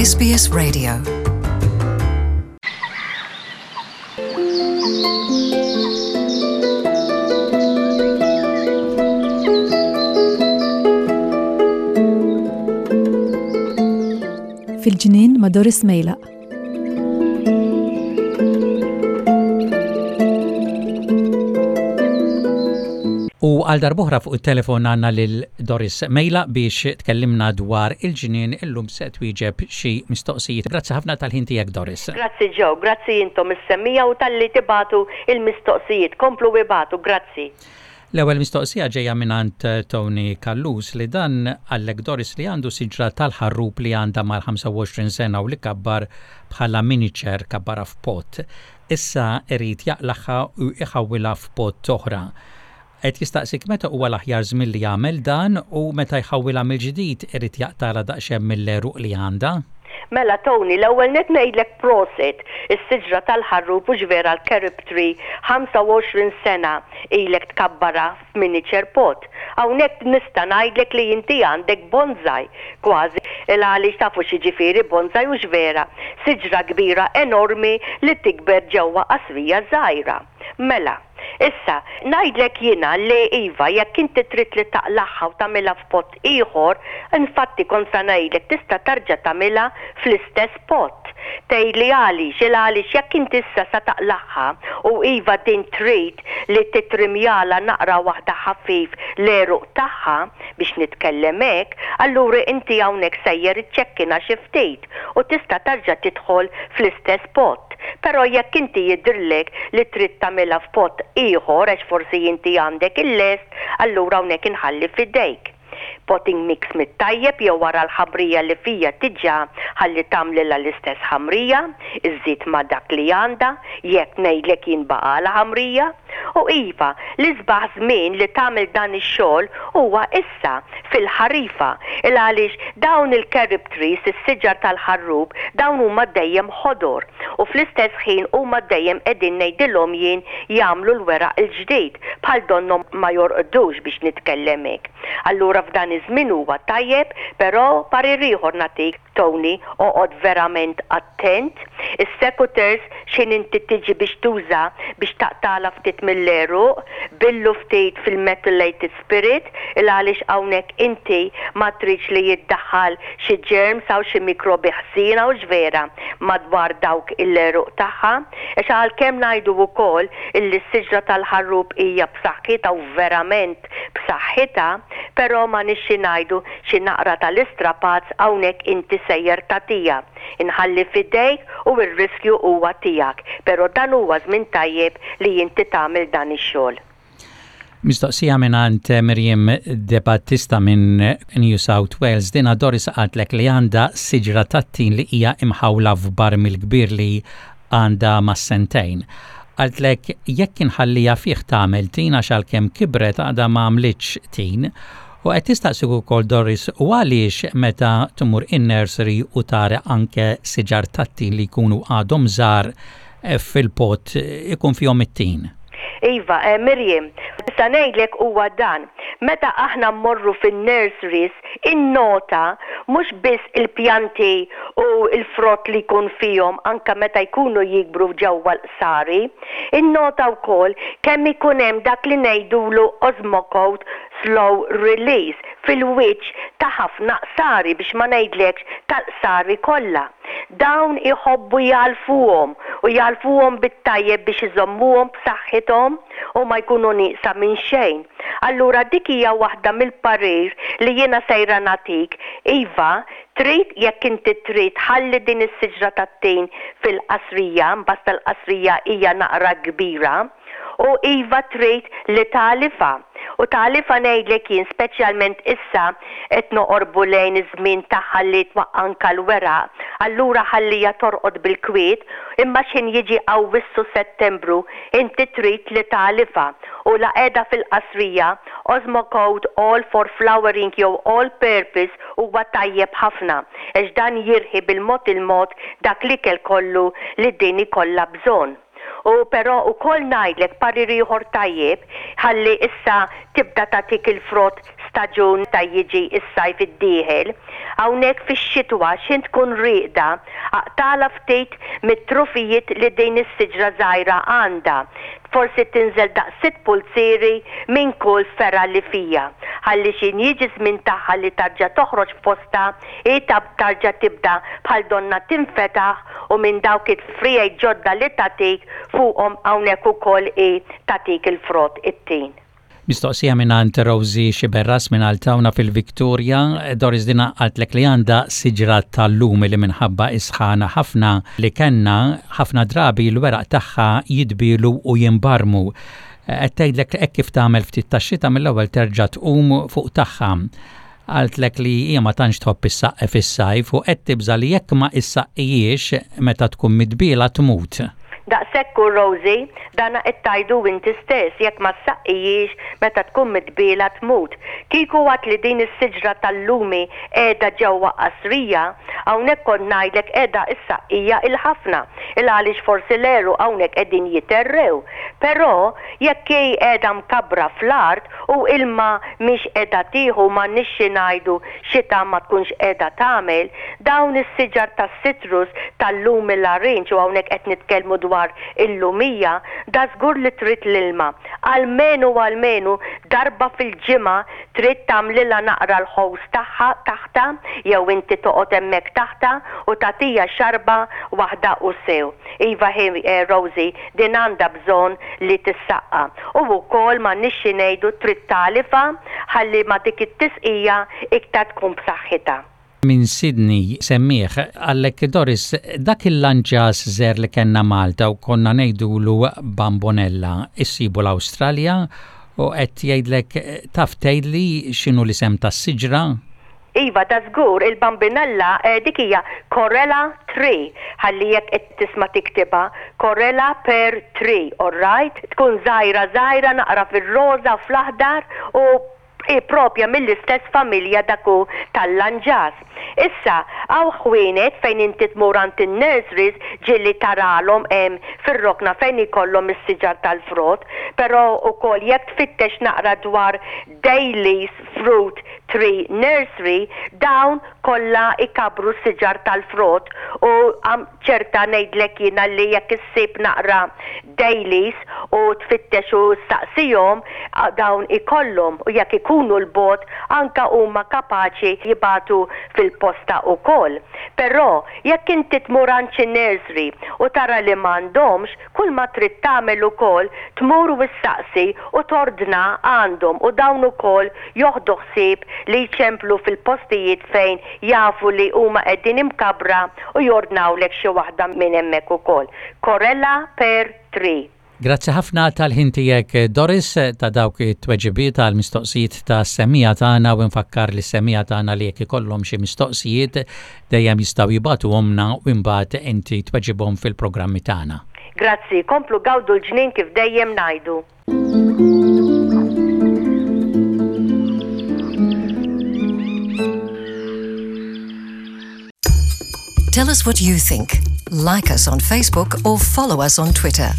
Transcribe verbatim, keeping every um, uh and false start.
S B S Radio. Fil-ġnien ma' Doris Mejlaq. U għal darb'oħra fuq il-telefon għandna lil Doris Mejlaq biex tkellimna dwar il-ġnien. Illum se twieġeb xi mistoqsijiet. Grazzi ħafna tal-ħin tiegħek, Doris. Grazzi Joe, grazzi intom is-semmiegħa u talli tibagħtu il-mistoqsijiet. Komplu ibagħtu, grazzi. L-ewwel mistoqsija ġejja mingħand Tony Callus, li dan qallek, Doris, li għandu siġra tal-ħarrub li għandha mal-ħamsa u għoxrin sena u li kabbar bħala miniature, kabbara f'pot. Issa irid jaqlagħha u jħawwilha f'pot oħra. Qed jistaqsik meta huwa l-aħjar żmien li jagħmel dan u meta jħawwilha mill-ġdid irid jaqtagħlha daqsxejn mill-għeruq li għandha. Mela Tony, l-ewwel net ngħidlek prosit, is-siġra tal-ħarrub u vera l-carob tree, ħamsa u għoxrin sena ilek tkabbara f'miniature pot. Hawnhekk nista' ngħidlek li inti għandek bonsai kważi, il għaliex tafu x'jiġifieri bonsai, u vera, siġra kbira enormi li tikber ġewwa qasrija żgħira. Mela, issa, ngħidlek jiena li iva, jekk inti trid li taqlagħha u tagħmilha f'pot ieħor, infatti kont sa ngħidlek tista' tarġa' tagħmilha fl-istess pot. Tgħidli għaliex? Il għaliex jekk inti issa sa taqlagħha u iva din trid li titrimjala naqra waħda ħafif l-għeruq tagħha, biex nitkellem hekk, allura inti hawnhekk sejjer iċċekkina xi ftit u tista' tarġa' tidħol fl-istess pot. Però jekk inti jidhirlek li trid tagħmilha f'pot ieħor għax forsi inti għandek il-lest, allura hawnhekk inħalli f'idejk. Potting mix mit-tajjeb jew wara l-ħamrija li fija diġà, ħalli tagħmlilha l-istess ħamrija, iżid ma' dak li għandha, jekk ngħidlek jien baqala ħamrija. U iva, l-isbaħ żmien li tagħmel dan ix-xogħol huwa issa fil-ħarifa. Il għaliex dawn il-carob trees, is-siġar tal-ħarrub, dawn huma dejjem ħodor u fl-istess ħin huma dejjem qegħdin, ngħidilhom jien, jagħmlu l-weraq il-ġdid, bħal donnhom ma jorqdux, biex nitkellem hekk. Allura f'dan iż-żmien huwa tajjeb, però parir ieħor nagħtik, Tony, oqgħod verament attent. Is-secateurs x'ħin inti tiġi biex tuża biex taqtala ftit mill-għeruq, billu ftit fil-methylated spirit, il għaliex hawnhekk inti ma tridx li jiddaħħal xi germs aw xi mikrobi ħsiena, u vera, madwar dawk il-għeruq tagħha. Għax għalkemm ngħidu wkoll illi s-siġra tal-ħarrub hija b'saħħitha u verament b'saħħitha, però ma nixxi ngħidu xi naqra tal-istrapazz hawnhekk inti sejjer tagħtiha. Inħalli f'idejk u r-riskju huwa tiegħek, però dan huwa żmien tajjeb li inti tagħmel dan ix-xogħol. Mistoqsija mingħand Miriam De Battista minn New South Wales. Dina, Doris, qaltlek li għandha siġra tat-tin li hija imħawla f'barmil kbir li għandha mas-sentejn. Qaltlek jekk inħallija fih tagħmel tin, għax għalkemm kibret għadha ma għamlitx tin. U qed tistaqsik ukoll, Doris, u għaliex meta tmur in-nursery u tara anke siġar tat-tin li jkunu għadhom żgħar fil-pot ikun fihom it-tin. Iva, eh, Miriam, issa ngħidlek huwa dan. Meta aħna mmorru fin-nurseries, innota mhux biss il-pjanti u il-frott li jkun fihom anka meta jkunu jikbru ġewwa l-qsari, innota wkoll kemm ikun hemm dak li ngħidulu Osmocote slow release fil-wiċċ ta' ħafna qsari, biex ma ngħidlekx tal-qsari kollha. Dawn iħobbu jagħlfuhom u jagħlfuhom bit-tajjeb biex iżommuhom b'saħħithom u ma jkunu nieqsa minn xejn. Allura dik hija waħda mill-parir li jiena sejra nagħtik. Iva, trid jekk inti trid ħalli din is-siġra tat-tin fil-qasrija, basta l-qasrija hija naqra kbira, u iva trid li tagħlifha. U tagħlifha, ngħidlek jien, speċjalment issa qed noqorbu lejn iż-żmien tagħha li twaqqa' anka l-weraq, allura ħallija torqod bil-kwiet, imma x'ħin jiġi Awwissu, Settembru, inti trid li tagħlifha. U la qiegħda fil-qasrija, Osmocote All for Flowering jew All Purpose huwa tajjeb ħafna, għax dan jirħi bil-mod il-mod dak l-ikel kollu li din ikollha bżonn. U però ukoll ngħidlek parir ieħor tajjeb, ħalli issa tibda tagħtik il-frott. staġun ta' jiġi s-sajf id-dieħel, hawnhekk fix-xitwa x'ħin tkun rieqda, aqtagħlha ftit mit-trufijiet li din is-siġra żgħira għandha. Forsi tinżel daqs sitt pulzieri minn kull fergħa li fija. Ħalli x'ħin jiġi żmien tagħha li tarġa' toħroġ f'postha, hi tarġa' tibda bħal donna tinfetaħ u minn dawk it-friegħi ġodda li tagħtik fuqhom hawnhekk ukoll hi tagħtik il-frott it-tin. Mistoqsija minn Rosie Xiberras minn Altawna fil-Victoria, Doris, dina qaltlek li għandha siġra tal-lumi li minħabba is-sħana ħafna li kellna ħafna drabi l-weraq tagħha jidbilu u jimbarmu. Qed tgħidlek hekk kif tagħmel ftit tax-xita mill-ewwel terġa' tqum fuq tagħha. Qaltlek li hija ma tantx tħobb issaqqi fis-sajf u qed tibża li jekk ma issaqqijiex meta tkun midbiela tmut. Daqshekk u Rosie, dana qed tgħidu inti stess, jekk ma ssaqqijiex meta tkun midbiela tmut. Kieku għedt li din is-siġra tal-lumi qiegħda ġewwa qasrija, hawnhekk kont ngħidlek qiegħda issaqqiha il-ħafna, il għaliex forsi l-għeruq hawnhekk qegħdin jiterrew. Però jekk hi qiegħda mkabbra fl-art u ilma mhix qiegħda tieħu, m'għandniex xi ngħidu, xita ma tkunx qiegħda tagħmel, dawn is-siġar tas-citrus tal-lumi larinġ, u hawnhekk qed nitkellmu dwar il-lumija, da żgur li trid l-ilma. Almenu almenu darba fil-ġimgħa trid tagħmlilha naqra l-hose tagħha taħta, jew inti toqgħod hemmhekk taħta u tagħtiha xarba waħda u sew. Iva hi, eh, Rosie, din għandha bżonn li tissaqqa. U wkoll m'għandniex xi ngħidu trid tagħlifha ħalli ma dik it-tisqija iktar tkun b'saħħitha. Minn Sydney semmiegħ qallek, Doris, dak il-lanġas żgħir li kellna Malta u konna ngħidulu bambonella, issibu l-Awstralja u qed jgħidlek taf tgħidli x'inhu l-isem tas-siġra? Iva, da żgur, il-bambinella eh, dik hija Corella Tree, ħalli jekk qed tisma' tiktibha, Corella Pear Tree, all right? Tkun żgħira żgħira naqra fir-roża u fl-aħdar u i propja mill-istess familja daku tal-lanġas. Issa, hawn ħwienet fejn inti tmur għand in-nurseries ġieli tarahom hemm fir-rokna fejn ikollhom is-siġar tal-frott, però ukoll jekk tfittex naqra dwar Daily's Fruit Tree Nursery, dawn kollha ikabru siġar tal-frott u għam ċerta ngħidlek jiena li jekk issib naqra Daily's u tfittex u staqsihom, dawn ikollhom u jekk ikunu 'l bogħod anka huma kapaċi jibagħtu fil-posta ukoll. Però jekk inti tmur għand xi nursery u tara li m'għandhomx, kull ma trid tagħmel ukoll tmur u ssaqsi u tordna għandhom u dawn ukoll joħdu ħsieb li jċemplu fil-postijiet fejn jafu li huma qegħdin imkabra u jordnawlek xi waħda minn hemmhekk ukoll. Corella Pear Tree. Grazzi ħafna tal-ħin tiegħek, Doris, ta' dawk it-tweġibiet għal mistoqsijiet ta' semmiegħa tagħna u nfakkar li semmiegħa tagħna li jekk ikollhom xi mistoqsijiet dejjem jistgħu jibagħtuhomlna u imbagħad inti tweġibhom fil-programmi tagħna. Grazzi, komplu gawdu l-ġnien kif dejjem ngħidu. Tell us what you think. Like us on Facebook or follow us on Twitter.